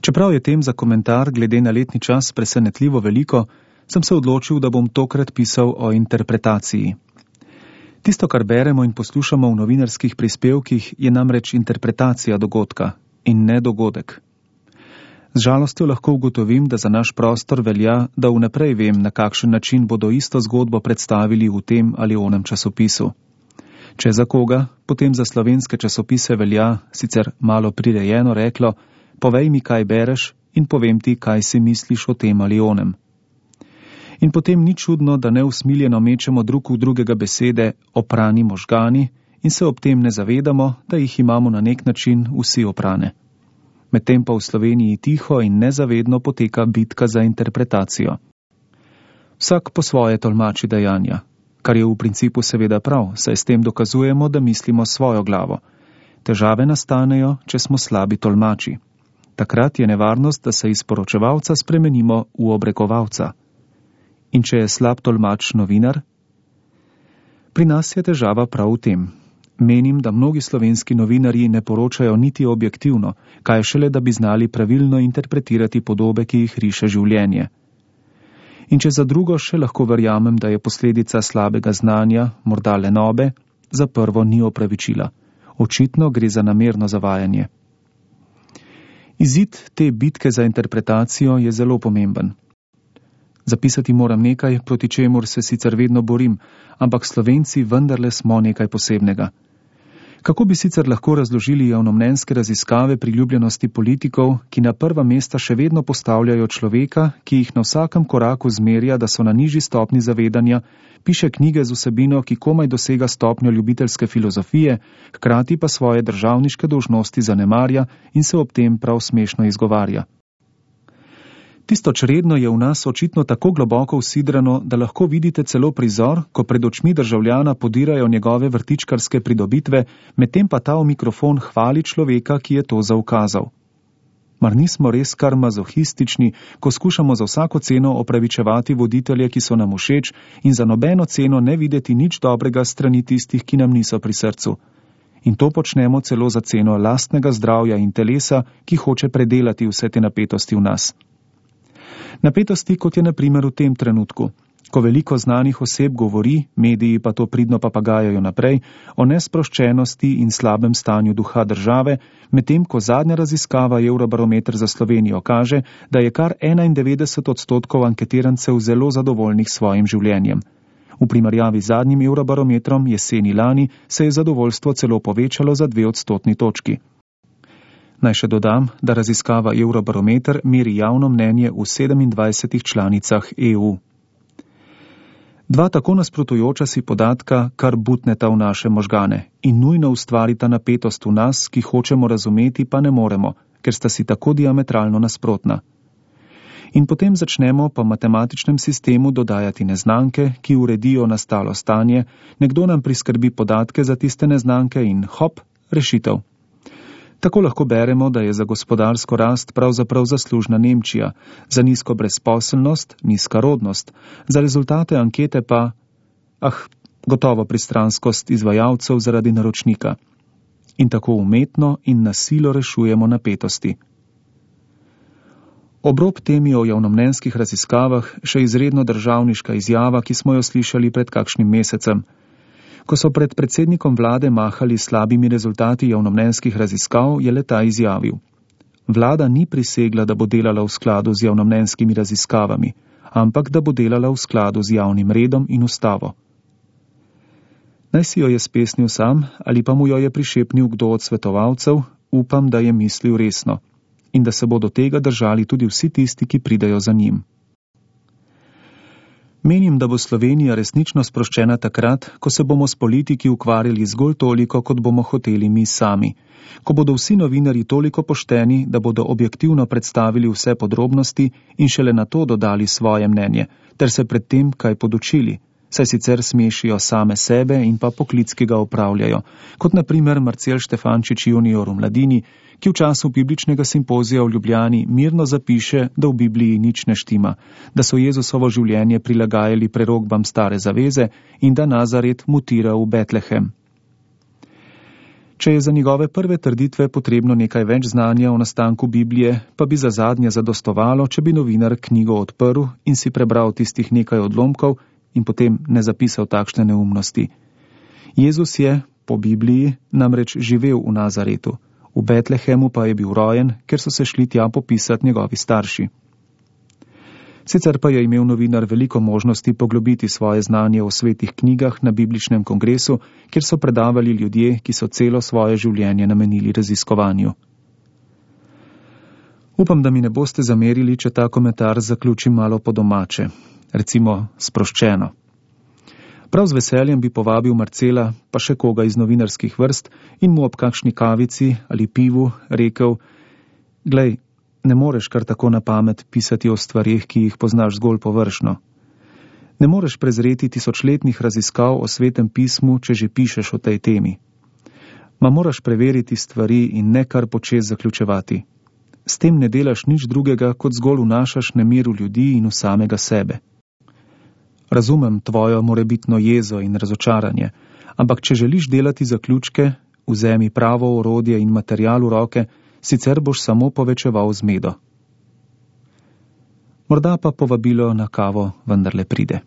Čeprav je tem za komentar glede na letni čas presenetljivo veliko, sem se odločil, da bom tokrat pisal o interpretaciji. Tisto, kar beremo in poslušamo v novinarskih prispevkih, je namreč interpretacija dogodka in ne dogodek. Z žalostjo lahko ugotovim, da za naš prostor velja, da vnaprej vem, na kakšen način bodo isto zgodbo predstavili v tem ali onem časopisu. Če za koga, potem za slovenske časopise velja, sicer malo prirejeno reklo, povej mi, kaj bereš in povem ti, kaj si misliš o tem ali onem. In potem ni čudno, da neusmiljeno mečemo drug v drugega besede oprani možgani in se ob tem ne zavedamo, da jih imamo na nek način vsi oprane. Medtem pa v Sloveniji tiho in nezavedno poteka bitka za interpretacijo. Vsak po svoje tolmači dejanja, kar je v principu seveda prav, saj s tem dokazujemo, da mislimo svojo glavo. Težave nastanejo, če smo slabi tolmači. Takrat je nevarnost, da se iz poročevalca spremenimo v obrekovalca. In če je slab tolmač novinar? Pri nas je težava prav v tem. Menim, da mnogi slovenski novinarji ne poročajo niti objektivno, kaj šele, da bi znali pravilno interpretirati podobe, ki jih riše življenje. In če za drugo še lahko verjamem, da je posledica slabega znanja, morda lenobe, za prvo ni opravičila. Očitno gre za namerno zavajanje. Izid te bitke za interpretacijo je zelo pomemben. Zapisati moram nekaj, proti čemur se sicer vedno borim, ampak Slovenci vendarle smo nekaj posebnega. Kako bi sicer lahko razložili javnomnenjske raziskave priljubljenosti politikov, ki na prva mesta še vedno postavljajo človeka, ki jih na vsakem koraku zmerja, da so na nižji stopni zavedanja, piše knjige z vsebino, ki komaj dosega stopnjo ljubiteljske filozofije, hkrati pa svoje državniške dolžnosti zanemarja in se ob tem prav smešno izgovarja. Tisto čredno je v nas očitno tako globoko usidrano, da lahko vidite celo prizor, ko pred očmi državljana podirajo njegove vrtičkarske pridobitve, medtem pa ta v mikrofon hvali človeka, ki je to zaukazal. Mar nismo res kar mazohistični, ko skušamo za vsako ceno opravičevati voditelje, ki so nam všeč, in za nobeno ceno ne videti nič dobrega strani tistih, ki nam niso pri srcu. In to počnemo celo za ceno lastnega zdravja in telesa, ki hoče predelati vse te napetosti v nas. Napetosti, kot je na primer v tem trenutku, ko veliko znanih oseb govori, mediji pa to pridno papagajajo naprej, o nesproščenosti in slabem stanju duha države, medtem ko zadnja raziskava Eurobarometer za Slovenijo kaže, da je kar 91% anketirancev zelo zadovoljnih s svojim življenjem. V primerjavi z zadnjim Eurobarometrom jeseni lani se je zadovoljstvo celo povečalo za 2 odstotni točki. Naj še dodam, da raziskava Eurobarometer meri javno mnenje v 27 članicah EU. Dva tako nasprotujoča si podatka kar butneta v naše možgane in nujno ustvarita napetost v nas, ki hočemo razumeti, pa ne moremo, ker sta si tako diametralno nasprotna. In potem začnemo po matematičnem sistemu dodajati neznanke, ki uredijo nastalo stanje, nekdo nam priskrbi podatke za tiste neznanke in hop, rešitev. Tako lahko beremo, da je za gospodarsko rast pravzaprav zaslužna Nemčija, za nizko brezposelnost, nizka rodnost, za rezultate ankete pa, gotovo pristranskost izvajalcev zaradi naročnika. In tako umetno in na silo rešujemo napetosti. Obrob temi o javnomnenjskih raziskavah še izredno državniška izjava, ki smo jo slišali pred kakšnim mesecem. Ko so pred predsednikom vlade mahali slabimi rezultati javnomnenjskih raziskav, je le ta izjavil. Vlada ni prisegla, da bo delala v skladu z javnomnenjskimi raziskavami, ampak da bo delala v skladu z javnim redom in ustavo. Naj si jo je spesnil sam ali pa mu jo je prišepnil kdo od svetovalcev, upam, da je mislil resno in da se bodo tega držali tudi vsi tisti, ki pridejo za njim. Menim, da bo Slovenija resnično sproščena takrat, ko se bomo s politiki ukvarjali zgolj toliko, kot bomo hoteli mi sami. Ko bodo vsi novinarji toliko pošteni, da bodo objektivno predstavili vse podrobnosti in šele na to dodali svoje mnenje, ter se pred tem kaj podučili, saj sicer smešijo same sebe in pa poklic, ki ga opravljajo, kot na primer Marcel Štefančič junior v Mladini, ki v času bibličnega simpozija v Ljubljani mirno zapiše, da v Bibliji nič ne štima, da so Jezusovo življenje prilagajali prerogbam stare zaveze in da Nazaret mutira v Betlehem. Če je za njegove prve trditve potrebno nekaj več znanja o nastanku Biblije, pa bi za zadnje zadostovalo, če bi novinar knjigo odprl in si prebral tistih nekaj odlomkov in potem ne zapisal takšne neumnosti. Jezus je, po Bibliji, namreč živel v Nazaretu, v Betlehemu pa je bil rojen, ker so se šli tja popisati njegovi starši. Sicer pa je imel novinar veliko možnosti poglobiti svoje znanje o svetih knjigah na bibličnem kongresu, kjer so predavali ljudje, ki so celo svoje življenje namenili raziskovanju. Upam, da mi ne boste zamerili, če ta komentar zaključim malo po domače, recimo sproščeno. Prav z veseljem bi povabil Marcela, pa še koga iz novinarskih vrst in mu ob kakšni kavici ali pivu rekel: "Glej, ne moreš kar tako na pamet pisati o stvarih, ki jih poznaš zgolj površno. Ne moreš prezreti tisočletnih raziskav o svetem pismu, če že pišeš o tej temi. Ma moraš preveriti stvari in ne kar počez zaključevati. S tem ne delaš nič drugega, kot zgolj vnašaš nemir v ljudi in v samega sebe. Razumem tvojo morebitno jezo in razočaranje, ampak če želiš delati zaključke, vzemi pravo orodje in material v roke, sicer boš samo povečeval zmedo." Morda pa povabilo na kavo vendarle pride.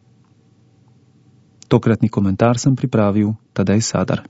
Tokratni komentar sem pripravil Tadej Sadar.